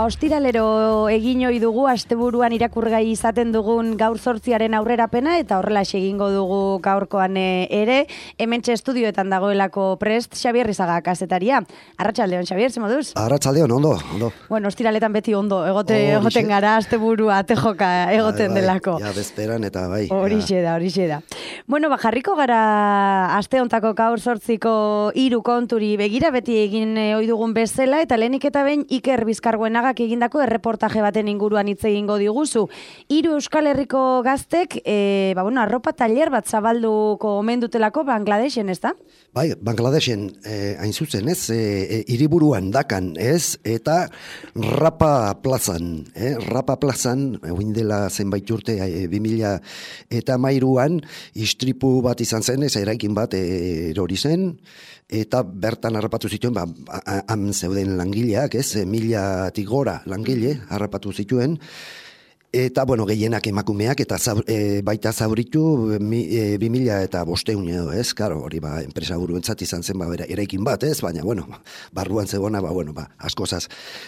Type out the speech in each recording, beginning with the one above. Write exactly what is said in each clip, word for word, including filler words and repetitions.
ostiralero egin ohi dugu, asteburuan irakurgai izaten dugun gaur zortziaren aurrerapena, eta horrela egingo dugu gaurkoan ere, hementxe estudioetan dagoelako prest, Xabier Rizaga kazetaria. Arratsaldeon, Xabier, ze moduz? Arratsaldeon, ondo, ondo. Bueno, ostiraletan beti ondo, egote, oh, egoten gara, asteburua, tejoka egoten bai, bai, delako. Ja, bezperan eta bai. Horixe da, horixe da. Bueno, ba, jarriko gara aste hontako gaur zortziko hiru konturi begira, beti egin ohi dugun bezala, eta lehenik eta behin Iker Bizkarguenagak egindako erreportaje baten inguruan hitz egingo diguzu. Hiru Euskal Herriko gaztek, e, ba, bueno, arropa tailer bat zabalduko omen dutelako Bangladesen, ez da? Bai, Bangladesen, eh, hain zuzen, ez, eh, hiriburuan dakan, ez, eta Rapa plazan, eh, Rapa plazan, egin dela zenbait urte, eh, bi mila eta hamairuan, istripu bat izan zen, ez, eraikin bat eh, erori zen, eta bertan harrapatu zituen, ba, han zeuden langileak, ez, milatik gora langile harrapatu zituen, eta, bueno, gehienak emakumeak, eta zaur, e, baita zauritu mi, e, bi mila eta bosteun edo, ez? Karo, hori, ba, enpresa buruentzat izan zen, ba, eraikin bat, ez? Baina, bueno, barruan zegona, ba, bueno, ba, askozaz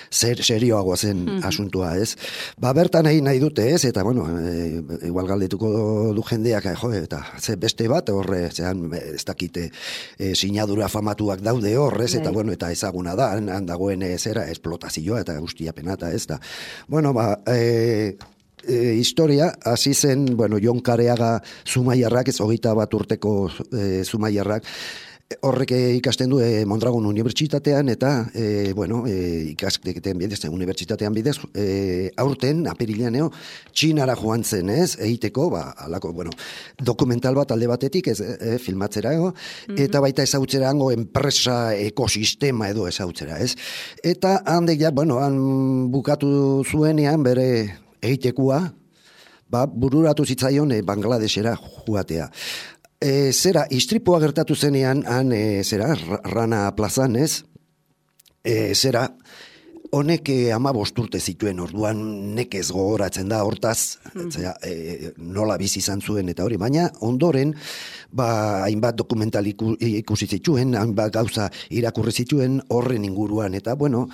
ser, serioagoa zen mm-hmm. asuntua, ez? Ba, bertan egin nahi dute, ez? Eta, bueno, e, igual galdetuko du jendeak, jo, eta ze beste bat, horre, zean, ez dakite, e, sinadura famatuak daude horrez, eta, bueno, eta ezaguna da, han dagoen zera, esplotazioa, eta guztiapena, eta ez da. Bueno, ba, e, E, historia, hasi zen, bueno, Jon Kareaga Zumaiarrak, ez hogeita bat urteko e, Zumaiarrak, horrek ikasten du e, Mondragon Unibertsitatean, eta, e, bueno, e, ikasketen bidez, unibertsitatean bidez, e, aurten, apirilaneo, Txinara joan zen, ez, egiteko, ba, alako, bueno, dokumental bat alde batetik, ez, e, filmatzera, ego, mm-hmm. eta baita ezautzera hango enpresa ekosistema edo ezautzera, ez. Eta handek ja, bueno, han bukatu zuenean, bere egitekoa, ba, bururatu zitzaion e, Bangladesera joatea. E, zera, istripua gertatu zenean, han, e, zera, Rana plazan, ez? E, zera, honek e, ama bosturte zituen, orduan nekez gogoratzen da, hortaz, mm. zera, e, nola bizi izan zuen, eta hori, baina ondoren, ba, hainbat dokumental iku, ikusi zituen, hainbat gauza irakurri zituen horren inguruan, eta, bueno,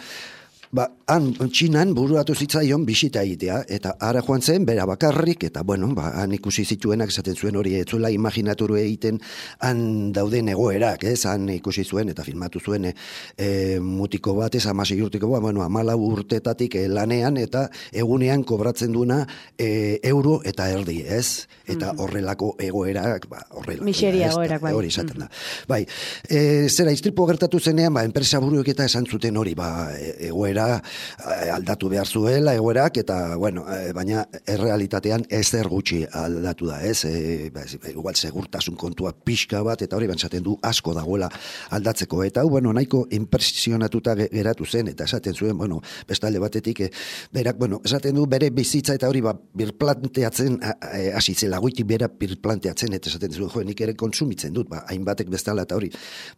ba, han Txinan buruatu zitzaion bisita egitea, eta ara joan zen, bera bakarrik, eta bueno, ba, han ikusi zituenak, esaten zuen hori, ez zuela imaginaturu egiten, han dauden egoerak, ez, han ikusi zuen, eta filmatu zuen, e, mutiko bat, ez, amasei urtiko bat, bueno, amala urtetatik e, lanean, eta egunean kobratzen duena e, euro eta erdi, ez, eta horrelako egoerak, ba, horrela. Miseria egoerak, bai. Hori esaten da. Bai, e, zera, istripo gertatu zenean, ba, enpresa buruek eta esan zuten hori, ba, egoera aldatu behar zuela egoerak, eta, bueno, baina errealitatean ezer gutxi aldatu da, ez? E, igual segurtasun kontua pixka bat, eta hori bantzaten du asko dagoela aldatzeko. Eta, bueno, nahiko impresionatuta geratu zen, eta esaten zuen, bueno, bestalde batetik, e, berak, bueno, esaten du bere bizitza, eta hori, ba, birplanteatzen, hasi zela, goitik bera birplanteatzen, eta esaten zuen, jo, nik ere konsumitzen dut, ba, hainbatek bestala, eta hori,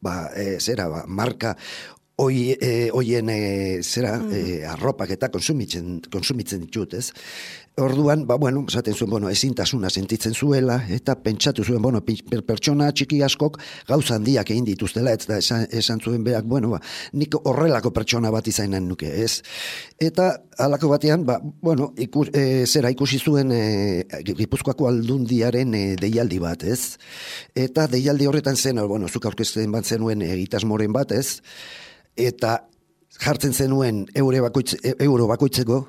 ba, e, zera, ba, marka, Hoi, e, hoien e, zera, mm. e, arropak eta konsumitzen, konsumitzen ditut, ez? Orduan, ba, bueno, esaten zuen, bueno, ezintasuna sentitzen zuela, eta pentsatu zuen, bueno, per, pertsona txiki askok gauza handiak egin dituztela, ez da, esan, esan zuen berak, bueno, ba, nik horrelako pertsona bat izainan nuke, ez? Eta, halako batean, ba, bueno, ikus, e, zera ikusi zuen e, Gipuzkoako Aldundiaren e, deialdi bat, ez? Eta deialdi horretan zen, bueno, zuk aurkezten bat zenuen egitasmoren bat, ez? Eta jartzen zenuen euro, bakoitz, euro bakoitzeko,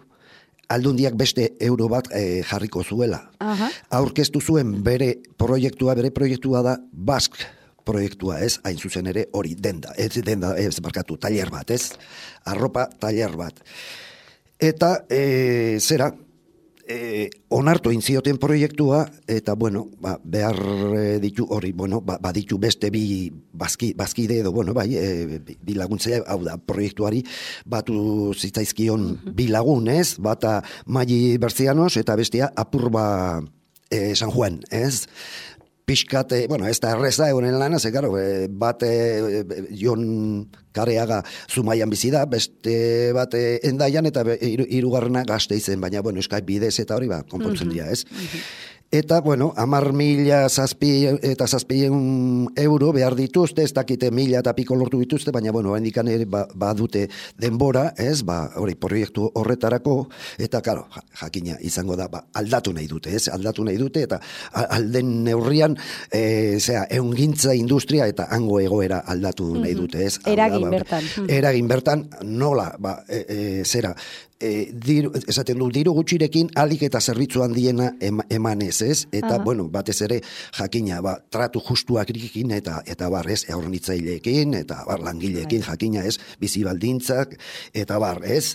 Aldundiak beste euro bat e, jarriko zuela. Aha. Aurkeztu zuen bere proiektua, bere proiektua da Bask proiektua, ez? Hain zuzen ere hori denda, ez denda, ez barkatu, tailer bat, ez? Arropa tailer bat. Eta, e, zera, E, onartu inzioten proiektua, eta, bueno, ba, behar ditu hori, bueno, ba, baditu beste bi bazki, bazkide edo, bueno, bai, e, bi laguntzea, hau da, proiektuari batu zitzaizkion mm-hmm. bi lagun, ez? Bata Maili Berzianos, eta bestia Apurba e, San Juan, ez? Pixkat, bueno, ez da erreza egonen lana, ze, karo, bat e, Jon Kareaga Zumaian bizi da, beste bat e, Endaian eta hirugarrena Gasteizen, baina bueno, Skype bidez eta hori ba konpontzen dira, ez? Eta, bueno, amar mila zazpi eta zazpien euro behar dituzte, ez dakite mila eta piko lortu dituzte, baina, bueno, hendikan ere ba, badute denbora, ez, ba, hori, proiektu horretarako, eta, karo, jakina izango da, ba, aldatu nahi dute, ez, aldatu nahi dute, eta alden neurrian, e, zera, eungintza industria eta hango egoera aldatu nahi dute, ez. Eragin ba, bertan. Eragin bertan, nola, ba, e, e, zera, E, diru, esaten du, diru gutxirekin alik eta zerbitzu handiena emanez, ez? Eta, uh-huh. bueno, batez ere jakina, ba, tratu justuak irikin eta eta bar, ez? Hornitzaileekin eta bar, langileekin jakina, ez? Bizi baldintzak eta bar, ez?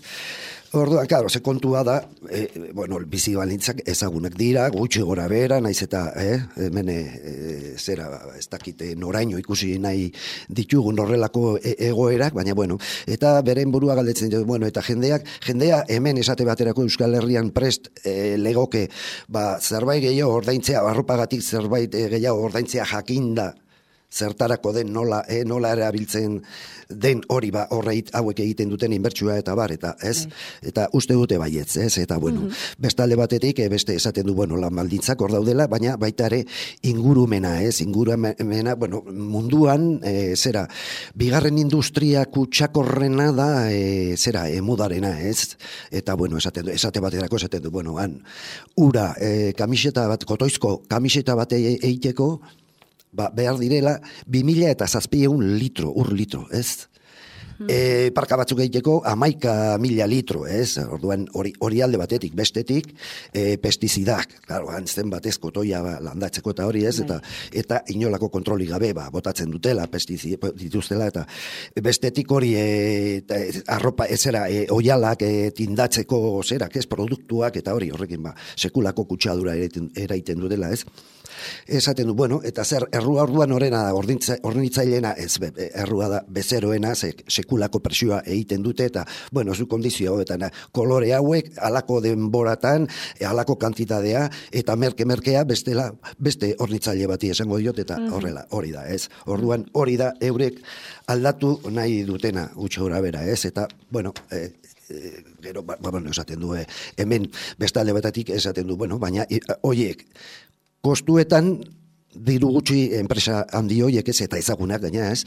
Orduan, claro, ze kontua da, e, bueno, bizi baldintzak ezagunak dira, gutxi gora bera, naiz eta, eh, hemen e, zera, ez dakite noraino ikusi nahi ditugun horrelako e, egoerak, baina, bueno, eta beren burua galdetzen, bueno, eta jendeak, jendea hemen esate baterako Euskal Herrian prest e, legoke, ba, zerbait gehiago ordaintzea, arropagatik zerbait e, gehiago ordaintzea jakinda, zertarako den nola, e, nola erabiltzen den hori ba horreit hauek egiten duten inbertsioa eta bar, eta ez, eta uste dute baietz, ez, eta bueno, mm-hmm. bestalde batetik, e, beste esaten du, bueno, lan baldintzak hor daudela, baina baita ere ingurumena, ez, ingurumena, bueno, munduan, e, zera, bigarren industria kutsakorrena da, e, zera, emudarena, ez, eta bueno, esaten du, esate baterako esaten du, bueno, han, ura, e, kamiseta bat, kotoizko kamiseta bat egiteko, ba, behar direla, bi mila eta zazpieun litro, ur litro, ez? Hmm. E, parka batzuk egiteko, amaika mila litro, ez? Orduan, hori, hori alde batetik, bestetik, e, pestizidak, claro, antzen batez kotoia ba, landatzeko eta hori, ez? Eta, eta inolako kontroli gabe, ba, botatzen dutela, pestizidak dituztela, eta bestetik hori, e, eta, arropa, ezera, e, oialak e, tindatzeko, zerak, ez? Produktuak, eta hori, horrekin, ba, sekulako kutsadura eraiten dutela, ez? Esaten du, bueno, eta zer, errua orduan horrena da, hornitzaileena, ez, be, errua da, bezeroena, ze, sekulako presioa egiten dute, eta, bueno, zu kondizio hauetan, kolore hauek, alako denboratan, alako kantitatea, eta merke-merkea, bestela, beste hornitzaile bati esango diot, eta horrela, hori da, ez. Orduan, hori da, eurek aldatu nahi dutena, gutxo gora bera, ez, eta, bueno, e, e, gero, ba, bueno, esaten du, e, hemen, bestalde betatik esaten du, bueno, baina, horiek, kostuetan diru gutxi enpresa handi horiek ez eta ezagunak gaina ez,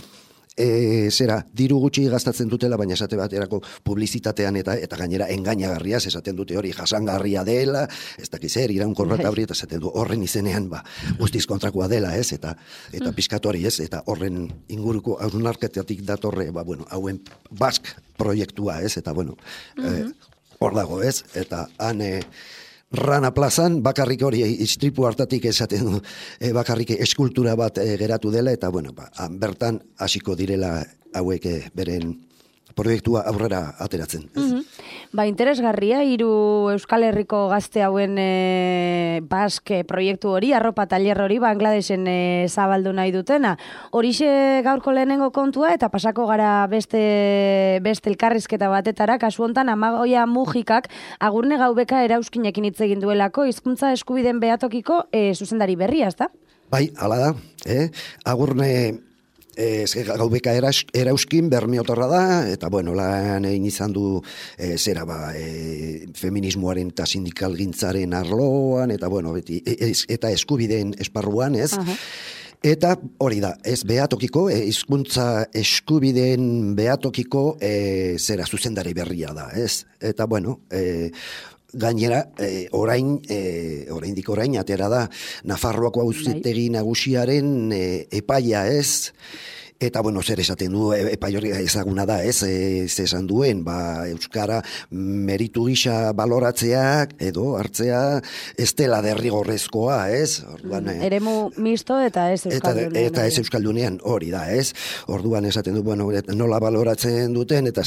e, zera, diru gutxi gastatzen dutela, baina esate baterako publizitatean eta eta gainera engainagarriaz esaten dute hori jasangarria dela, ez dakiz zer, iraunkorra eta hori, eta esaten du horren izenean, ba, guztiz kontrakoa dela ez, eta eta mm. pizkatu hori ez, eta horren inguruko hausnarketatik datorre, ba, bueno, hauen bask proiektua ez, eta bueno, mm-hmm. e, hor dago ez, eta han, e, Rana plazan, bakarrik hori istripu hartatik esaten du, e, bakarrik eskultura bat e, geratu dela, eta bueno, ba, bertan hasiko direla hauek e, beren proiektua aurrera ateratzen. Mm-hmm. Ba, interesgarria, hiru Euskal Herriko gazte hauen e, baske proiektu hori, arropa taller hori, Bangladesen e, zabaldu nahi dutena. Horixe gaurko lehenengo kontua, eta pasako gara beste, beste elkarrizketa batetara, kasu hontan Amagoia Mujikak Agurne Gaubeka erauskinekin hitz egin duelako, hizkuntza eskubideen behatokiko e, zuzendari berria, ezta? Bai, hala da, eh? Agurne Ez, Gaubeka erauskin bermiotorra da, eta bueno, lan egin izan du e, zera ba, e, feminismoaren eta sindikalgintzaren arloan, eta bueno, beti, ez, eta eskubideen esparruan, ez? Uh-huh. Eta hori da, ez behatokiko, hizkuntza e, eskubideen behatokiko e, zera zuzendari berria da, ez? Eta bueno, e, gainera, e, orain, e, oraindik orain, atera da, Nafarroako auzitegi nagusiaren e, epaia ez, eta, bueno, zer esaten du, epai hori ezaguna da, ez, ez esan duen, ba, Euskara meritu gisa baloratzeak, edo, hartzea, ez dela derrigorrezkoa, ez? Orduan, mm, eremu misto eta ez Euskaldunean. Eta, eta ez Euskaldunean, hori da, ez? Orduan esaten du, bueno, nola baloratzen duten, eta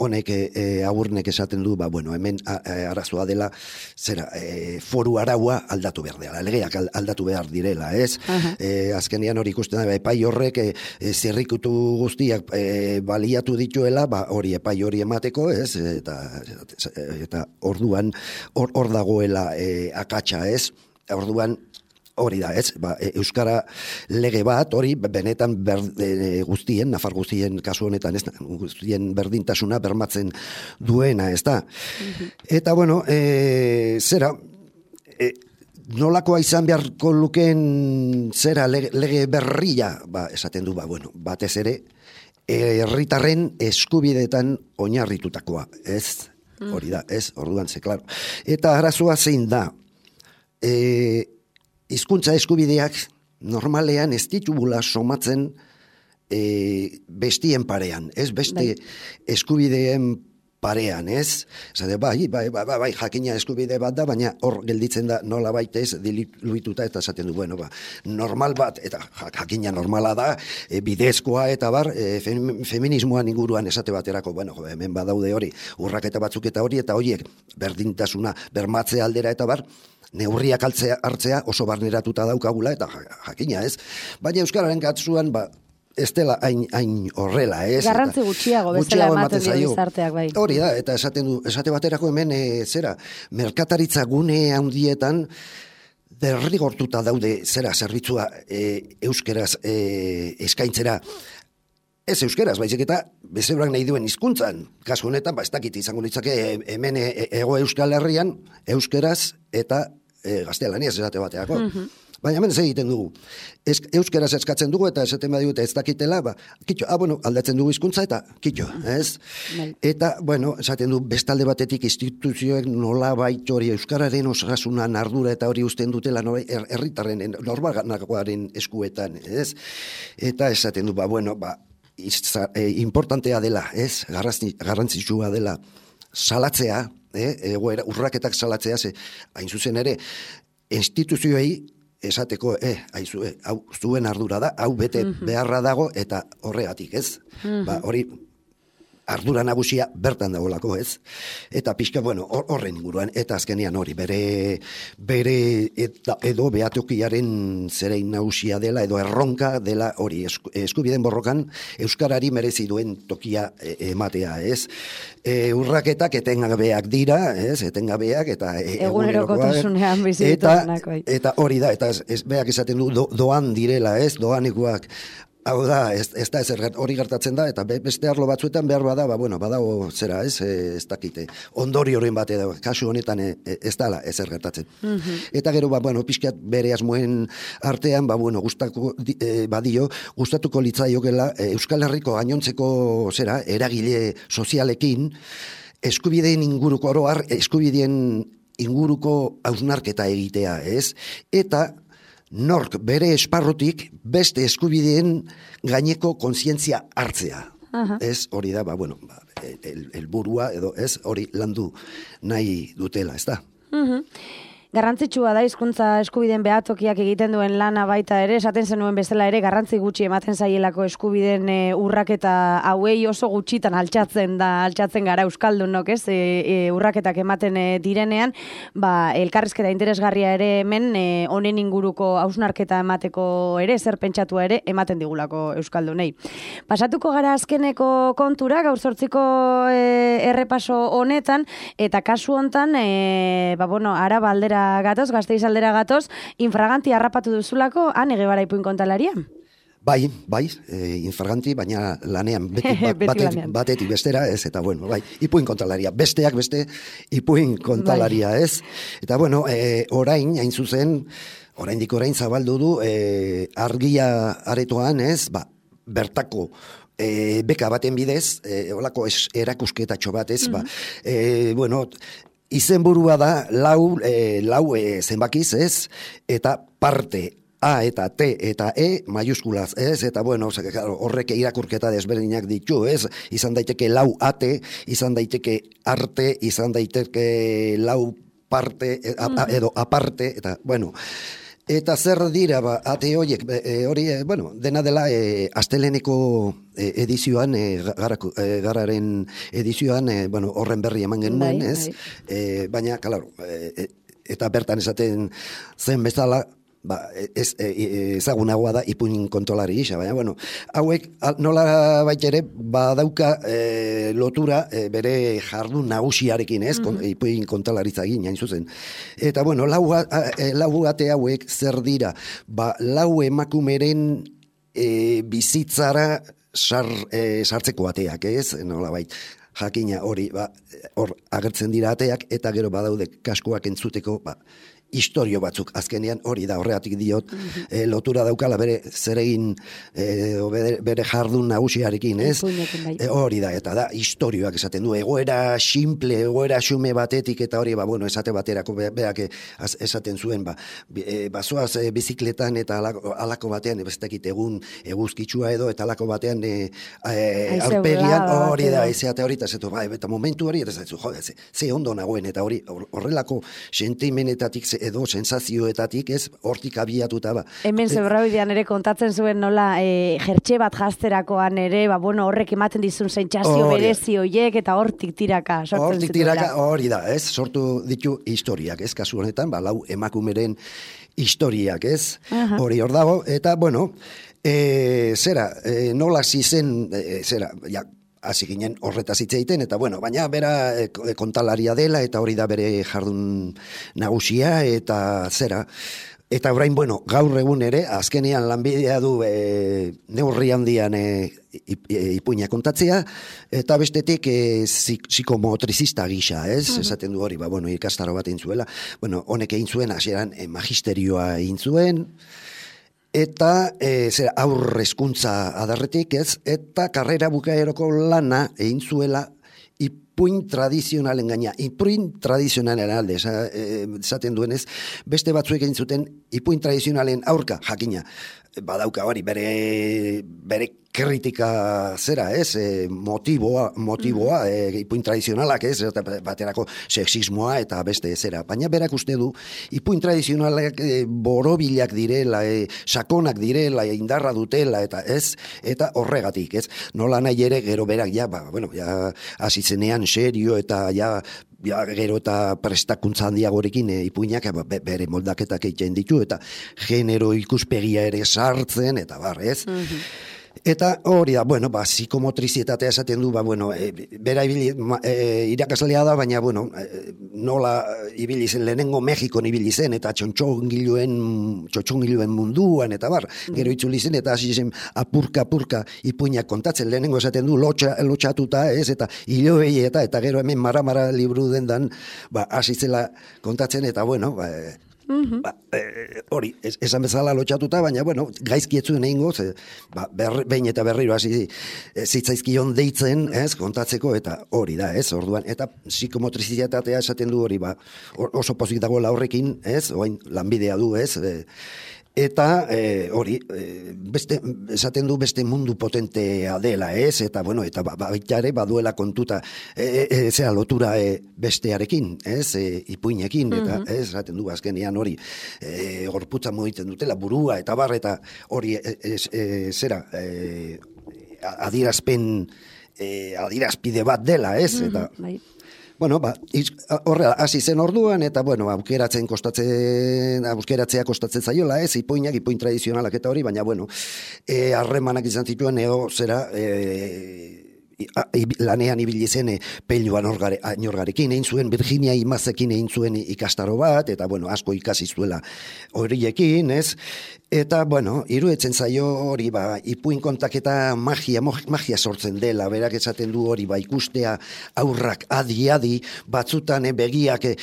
honek e, Agurnek esaten du, ba, bueno, hemen a, a, arazoa dela, zera, e, foru araua aldatu behar dela, legeak aldatu behar direla, ez? Uh-huh. E, azkenean hori ikusten da, epai horrek e, e, zirrikutu guztiak e, baliatu dituela, ba, hori epai hori emateko, ez? Eta, eta orduan, hor, hor dagoela e, akatsa, ez? Orduan, hori da, ez? Ba, euskara lege bat, hori benetan ber, e, guztien, nafar guztien kasu honetan, ez? Guztien berdintasuna bermatzen duena, ez da? Mm-hmm. Eta, bueno, e, zera, e, nolakoa izan beharko lukeen zera lege, lege berria, ba, esaten du, ba, bueno, batez ere, herritarren eskubideetan oinarritutakoa, ez? Mm. Hori da, ez? Orduan, ze, klaro. Eta arazoa zein da, e, hizkuntza eskubideak normalean ez ditugula somatzen e, bestien parean, ez beste bai. Eskubideen parean, ez? Zade, bai, bai, bai, bai, bai, jakina eskubide bat da, baina hor gelditzen da nola baitez diluituta eta esaten du, bueno, ba, normal bat, eta jakina normala da, e, bidezkoa eta bar, e, feminismoan inguruan esate baterako, bueno, hemen badaude hori, urraketa batzuk eta hori, eta horiek berdintasuna bermatzea aldera eta bar, neurriak altzea, hartzea oso barneratuta daukagula, eta jakina, ez? Baina euskararen katzuan, ba, ez dela hain, hain horrela, ez? Garrantzi gutxiago, bezala ematen dio gizarteak, bai. Hori da, eta esaten du, esate baterako hemen, e, zera, merkataritza gune handietan, derrigortuta daude, zera, zerbitzua e, euskeraz e, eskaintzera, ez euskeraz, baizik eta bezebrak nahi duen hizkuntzan. Kasu honetan, ba, ez dakit izango litzake hemen ego Euskal Herrian, euskeraz eta e, gaztelaniaz esate bateako. Mm-hmm. Baina hemen ez egiten dugu. Ez, euskeraz eskatzen dugu eta esaten badute ez dakitela, ba, kitxo, ah, bueno, aldatzen dugu hizkuntza eta kitxo, ez? Mm-hmm. Eta, bueno, esaten du bestalde batetik instituzioek nola baita hori euskararen osasunan ardura eta hori usten dutela herritarren er, normalakoaren eskuetan, ez? Eta esaten du, ba, bueno, ba, Izza, e, importantea dela, ez? Garrantzitsua dela salatzea, eh? Egoera, urraketak salatzea, ze, hain zuzen ere, instituzioei esateko, eh, haizu, eh, hau zuen ardura da, hau bete mm-hmm. beharra dago, eta horregatik, ez? Mm-hmm. Ba, hori, ardura nagusia bertan dagoelako, ez? Eta pixka, bueno, horren inguruan, eta azkenean hori, bere, bere eta, edo behatokiaren zerein nagusia dela, edo erronka dela hori, esku, eskubiden borrokan, euskarari merezi duen tokia e, ematea, ez? E, urraketak etengabeak dira, ez? Etengabeak, eta e, egunerokotasunean bizituzenak, bai. Eta hori da, eta ez, ez beak esaten du, do, doan direla, ez? Doanikoak. Hau da, ez, ez da ez hori gertatzen da, eta beste arlo batzuetan behar bada, ba, bueno, badago zera, ez, ez dakite. Ondori horren bat edo, kasu honetan ez dala ez gertatzen. Mm-hmm. Eta gero, ba, bueno, pixkat bere asmoen artean, ba, bueno, gustako, eh, badio, gustatuko litzaiokela eh, Euskal Herriko gainontzeko, zera, eragile sozialekin, eskubideen inguruko oroar, eskubideen inguruko hausnarketa egitea, ez? Eta nork bere esparrotik beste eskubideen gaineko kontzientzia hartzea. Uh-huh. Ez hori da, ba, bueno, ba, el, el burua edo ez hori landu nahi dutela, ez da? Uh-huh. Garrantzitsua da hizkuntza eskubideen behatokiak egiten duen lana baita ere, esaten zenuen bezala ere garrantzi gutxi ematen zaielako eskubideen e, urraketa hauei oso gutxitan altxatzen da, altxatzen gara euskaldunok, ez? E, e, urraketak ematen e, direnean, ba elkarrizketa interesgarria ere hemen e, honen inguruko hausnarketa emateko ere zer pentsatua ere ematen digulako euskaldunei. Pasatuko gara azkeneko kontura, gaur zortziko e, errepaso honetan eta kasu hontan, e, ba bueno, Araba aldera gatoz, Gasteiz aldera gatoz, infraganti harrapatu duzulako, han egebara ipuin kontalaria? Bai, bai, e, infraganti, baina lanean, beti, bat, beti batet, lanean. Batetik bestera, ez, eta bueno, bai, ipuin kontalaria, besteak beste ipuin kontalaria, bai. Ez? Eta bueno, e, orain, hain zuzen, oraindik orain zabaldu du, e, argia aretoan, ez, ba, bertako, E, beka baten bidez, e, olako es, erakusketatxo bat, ez, mm-hmm. ba, e, bueno, izenburua da lau, e, lau e, zenbakiz, ez, eta parte A eta T eta E maiuskulaz, ez, eta bueno, horrek irakurketa desberdinak ditu, ez, izan daiteke lau ate, izan daiteke arte, izan daiteke lau parte, a, a, edo aparte, eta bueno, eta zer dira, ba, ate horiek, e, hori, e, bueno, dena dela e, asteleneko e, edizioan, e, garako, e, gararen edizioan, e, bueno, horren berri eman genuen, bai, ez? Bai. E, baina, kalaro, e, eta bertan esaten zen bezala, ba, ez, e, ezagunagoa da ipuin kontolari gisa, baina, bueno, hauek nola baita ere, badauka e, lotura e, bere jardun nagusiarekin, ez, mm-hmm. ipuin kontolaritza egin, hain zuzen. Eta, bueno, lau, a, e, lau ate hauek zer dira, ba, lau emakumeren e, bizitzara sar, e, sartzeko ateak, ez, nola baita. Jakina hori, ba, hor agertzen dira ateak, eta gero badaude kaskoak entzuteko, ba, historio batzuk, azkenean hori da, horregatik diot, mm-hmm. e, lotura daukala bere zeregin, e, bere, bere jardun nagusiarekin, ez? E, hori da, eta da, historioak esaten du, egoera simple, egoera xume batetik, eta hori, ba, bueno, esate baterako, be, beak esaten zuen, ba, e, bazoaz e, bizikletan, eta alako, alako batean, ez dakit egun eguzkitsua edo, eta alako batean, e, e, aurpegian, hori da, ezeate hori, eta zetu, ba, eta momentu hori, eta zetu, jode, ze, ze ondo nagoen, eta hori, horrelako sentimenetatik, edo sensazioetatik, ez, hortik abiatuta, ba. Hemen zebrabidean ere kontatzen zuen nola, e, jertxe bat jazterakoan ere, ba, bueno, horrek ematen dizun sentsazio berezi hoiek, eta hortik tiraka sortzen hortik tiraka, hori da, ez, sortu ditu historiak, ez, kasu honetan, ba, lau emakumeren historiak, ez, hori hor dago, eta, bueno, e, zera, e, nola zizen, e, zera, ja, hasi ginen horretaz hitz egiten, eta bueno, baina bera e, kontalaria dela, eta hori da bere jardun nagusia, eta zera, eta orain, bueno, gaur egun ere, azkenean lanbidea du e, neurri handian e, ipuina kontatzea, eta bestetik e, psikomotrizista gisa, ez? Uh-huh. Esaten du hori, ba, bueno, ikastaro bat egin zuela, bueno, honek egin zuen, hasieran e, magisterioa egin zuen, eta e, zer, aurre hezkuntza adarretik, ez, eta karrera bukaeroko lana egin zuela ipuin tradizionalen gaina, ipuin tradizionalen alde, esaten duenez, beste batzuek egin zuten ipuin tradizionalen aurka, jakina, badauka hori, bere, bere kritika zera, ez, e, motiboa, motiboa, e, ipuin tradizionalak, ez, baterako sexismoa eta beste zera. Baina berak uste du, ipuin tradizionalak e, borobilak direla, e, sakonak direla, e, indarra dutela, eta ez, eta horregatik, ez. Nola nahi ere, gero berak, ja, ba, bueno, ja, hasizenean serio, eta ja, ja, gero eta prestakuntza handiagorekin e, ipuinak e, bere moldaketak egiten ditu, eta genero ikuspegia ere sartzen, eta bar, ez. Mm-hmm. Eta hori da, bueno, ba, psikomotrizitatea esaten du, ba, bueno, e, bera ibili, e, irakaslea da, baina, bueno, e, nola ibili zen, lehenengo Mexikon ibili zen, eta txontxongiluen, txontxongiluen munduan, eta bar, gero itzuli zen, eta hasi zen apurka, apurka ipuinak kontatzen, lehenengo esaten du, lotxa, lotxatuta, ez, eta hiloei, eta, eta gero hemen mara-mara liburu dendan, ba, hasi zela kontatzen, eta, bueno, ba, Ba, e, hori, ez, esan bezala lotxatuta, baina, bueno, gaizki etzuen egingo, ze, ba, ber, behin eta berriro hasi e, zitzaizkion deitzen, ez, kontatzeko, eta hori da, ez, orduan, eta psikomotrizitatea esaten du hori, ba, oso pozik dagoela horrekin, ez, oain lanbidea du, ez, e, eta e, hori, e, beste, esaten du beste mundu potentea dela, ez, eta, bueno, eta ba, baita ere baduela kontuta, e, e, zera lotura e, bestearekin, ez, e, ipuinekin, eta, mm-hmm. ez, esaten du azkenean hori, e, gorputza mugitzen dutela, burua, eta bar, eta hori, e, e, e, zera, e, adierazpen, e, adierazpide bat dela, ez, mm-hmm. eta... Bai. Bueno, ba, horrela, hasi zen orduan, eta, bueno, aukeratzen kostatzen, aukeratzea kostatzen zaiola, ez, ipuinak, ipuin tradizionalak eta hori, baina, bueno, e, harremanak izan zituen, eo, zera, e, lanean ibili zen e, Pello Añorgarekin egin zuen, Virginia Imazekin egin zuen ikastaro bat, eta, bueno, asko ikasi zuela horiekin, ez, eta, bueno, iruetzen zaio hori, ba, ipuin kontaketa magia, magia sortzen dela, berak esaten du hori, ba, ikustea aurrak adi-adi, batzutan e, begiak e,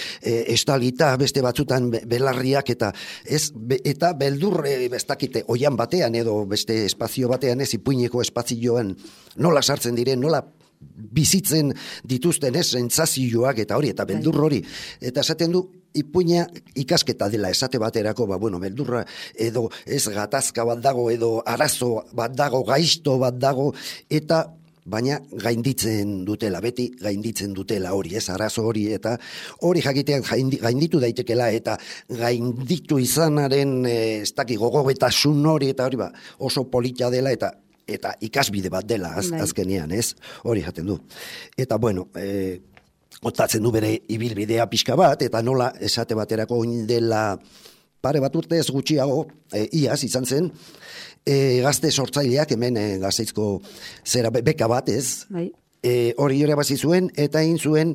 estalita, beste batzutan belarriak, eta ez, be, eta beldur, e, bestakite, oian batean, edo beste espazio batean, ez, ipuineko espazioan, nola sartzen diren, nola bizitzen dituzten ez, sentsazioak eta hori, eta beldur hori. Eta esaten du, ipuina ikasketa dela esate baterako, ba, bueno, beldurra edo ez gatazka bat dago, edo arazo bat dago, gaizto bat dago, eta baina gainditzen dutela, beti gainditzen dutela hori, ez, arazo hori, eta hori jakitean gainditu daitekela, eta gainditu izanaren, ez daki, gogobetasun hori, eta hori, ba, oso polita dela, eta eta ikasbide bat dela az, azkenean, ez? Hori jaten du. Eta, bueno, e, kontatzen du bere ibilbidea pixka bat, eta nola esate baterako oin dela pare bat urte ez gutxiago, e, iaz izan zen, e, gazte sortzaileak hemen e, Gasteizko zera beka bat ez, bai. E, hori irabazi zuen, eta egin zuen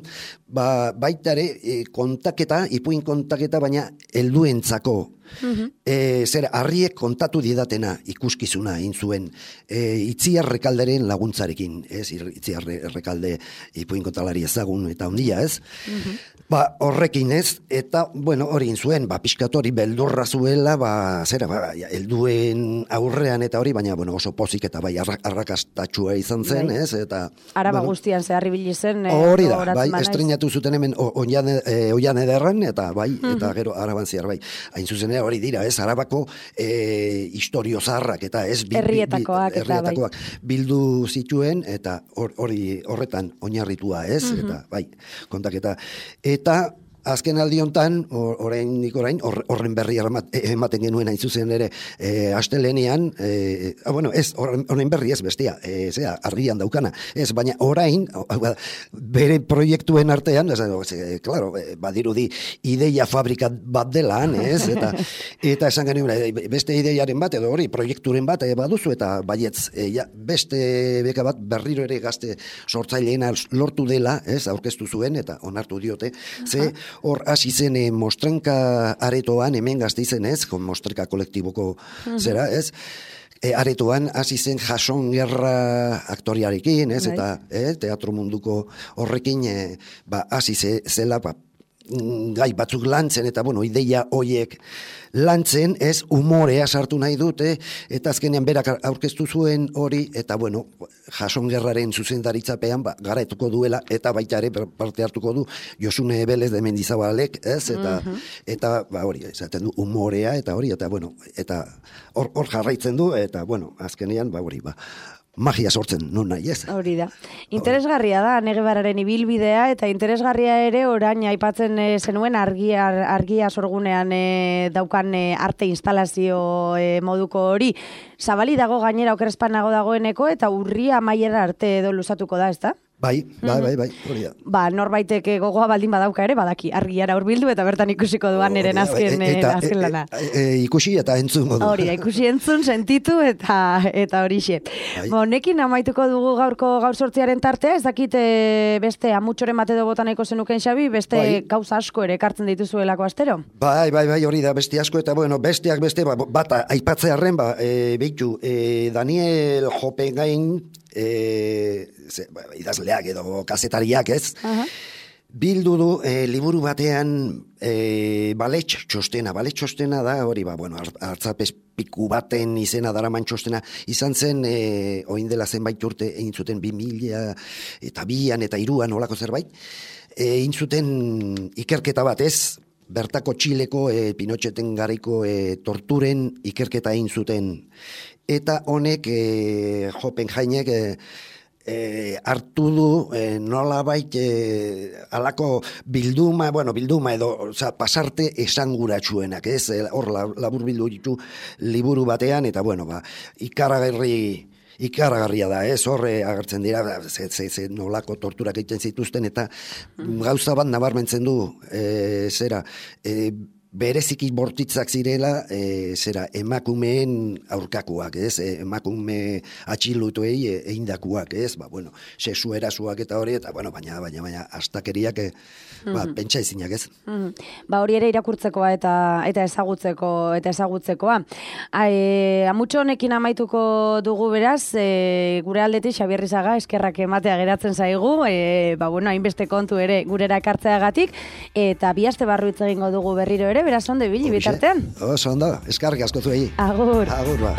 ba, baita ere e, kontaketa, ipuin kontaketa, baina helduentzako. Mm-hmm. E, zer, harriek kontatu didatena ikuskizuna egin zuen e, Itziar Rekalderen laguntzarekin, ez? Itziar Rekalde ipuin kontalari ezagun eta ondia, ez? Mm-hmm. Ba, horrekin ez, eta, bueno, hori egin zuen, ba, pixkat hori beldurra zuela, ba, zera, ba, helduen aurrean eta hori, baina, bueno, oso pozik eta bai, arrakastatxua izan zen, bai. Ez? Eta, Araba bueno, guztian zehar ibili zen. Hori da, bai, estrenatu zuten hemen oian e, ederran, eta bai, mm-hmm. eta gero araban ziar, bai. Hain zuzen hori dira, ez, Arabako e, historio zaharrak, eta ez, bi, herrietakoak, bi, bi, herrietakoak bai. Bildu zituen, eta hori horretan oinarritua, ez, mm-hmm. eta bai, kontaketa. Eta azken aldi hontan, oraindik orain, horren berri ematen genuen hain zuzen ere, e, astelenean, e, ah, bueno, ez, horren berri ez bestia, e, zera, argian daukana, ez, baina orain, bere proiektuen artean, ez, e, claro, badirudi ideia fabrika bat delan, ez, eta, eta esan genuen, beste ideiaren bat, edo hori, proiekturen bat, e, baduzu, eta baietz, e, ja, beste beka bat berriro ere gazte sortzaileena lortu dela, ez, aurkeztu zuen, eta onartu diote, ze, hor hasi zen e, mostrenka aretoan, hemen Gasteizen ez, mostrenka kolektiboko uh-huh. zera, ez, e, aretoan hasi zen Jason Gerra aktoriarekin, ez, right. eta e, teatro munduko horrekin e, ba, hasi ze, zela, ba, gai batzuk lantzen, eta bueno, ideia hoiek lantzen, ez, umorea sartu nahi dute, eta azkenean berak aurkeztu zuen hori, eta bueno, Jason Gerraren zuzendaritzapean, ba, garaituko duela, eta baita ere parte hartuko du Josune Ebelez de Mendizabalek, ez, eta, uh-huh. eta ba, hori, esaten du, umorea, eta hori, eta bueno, eta hor, hor jarraitzen du, eta bueno, azkenean, ba, hori, ba, magia sortzen, non nahi ez. Hori da. Interesgarria da, Negebararen ibilbidea, eta interesgarria ere orain aipatzen e, zenuen argia, argia sorgunean e, daukan e, arte instalazio e, moduko hori. Zabali dago gainera okerespanago dagoeneko, eta urria amaiera arte edo luzatuko da, ez da? Bai, bai, bai, bai, hori da. Ba, norbaitek gogoa baldin badauka ere, badaki, argiara hurbildu eta bertan ikusiko duan eren azken, e, eta, azken lana. E, e, e, ikusi eta entzun modu. Hori da, ikusi entzun, sentitu eta eta horixe. Bai. Honekin amaituko dugu gaurko gaur sortziaren tartea, ez dakit e, beste amutxoren bat edo botaneko zenuken Xabi, beste bai. Gauza asko ere ekartzen dituzuelako astero? Bai, bai, bai, hori da, beste asko, eta bueno, besteak beste, ba, bat aipatzearen, ba, e, behitu, e, Daniel Jopengain, E, ze, ba, idazleak edo kazetariak ez, uh-huh. bildu du e, liburu batean e, baletx txostena, baletx txostena da, hori ba, bueno, hartzapez piku baten izena daraman txostena, izan zen e, oin dela zenbait urte egin zuten bi mila eta bian eta iruan olako zerbait, egin zuten ikerketa bat ez, bertako Txileko e, Pinotxeten garaiko e, torturen ikerketa egin zuten. Eta honek, e, Jopenhainek e, e, hartu du e, nolabait e, alako bilduma, bueno, bilduma edo oza, pasarte esanguratsuenak, ez? Hor labur bildu ditu liburu batean, eta bueno, ba, ikaragarri ikaragarria da, ez, horre agertzen dira, ze, ze, ze nolako torturak egiten zituzten, eta gauza bat nabarmentzen du, e, zera, e, bereziki bortitzak zirela, e, zera, emakumeen aurkakoak, ez, e, emakume atxilutuei e, eindakuak, ez, ba, bueno, sexu erasuak eta hori, eta, bueno, baina, baina, baina, astakeriak, e, ba, mm-hmm. pentsa ezinak, ez. Mm-hmm. Ba, hori ere irakurtzekoa eta eta ezagutzeko, eta ezagutzekoa. E, amutxo honekin amaituko dugu beraz, e, gure aldetik Xabier Rizaga eskerrak ematea geratzen zaigu, e, ba, bueno, hainbeste kontu ere gurera ekartzeagatik, eta bi aste barru hitz egingo dugu berriro ere, beraz ondo ibili bitartean. Oso ondo, eskarrik asko zuei. Agur. Agur, ba.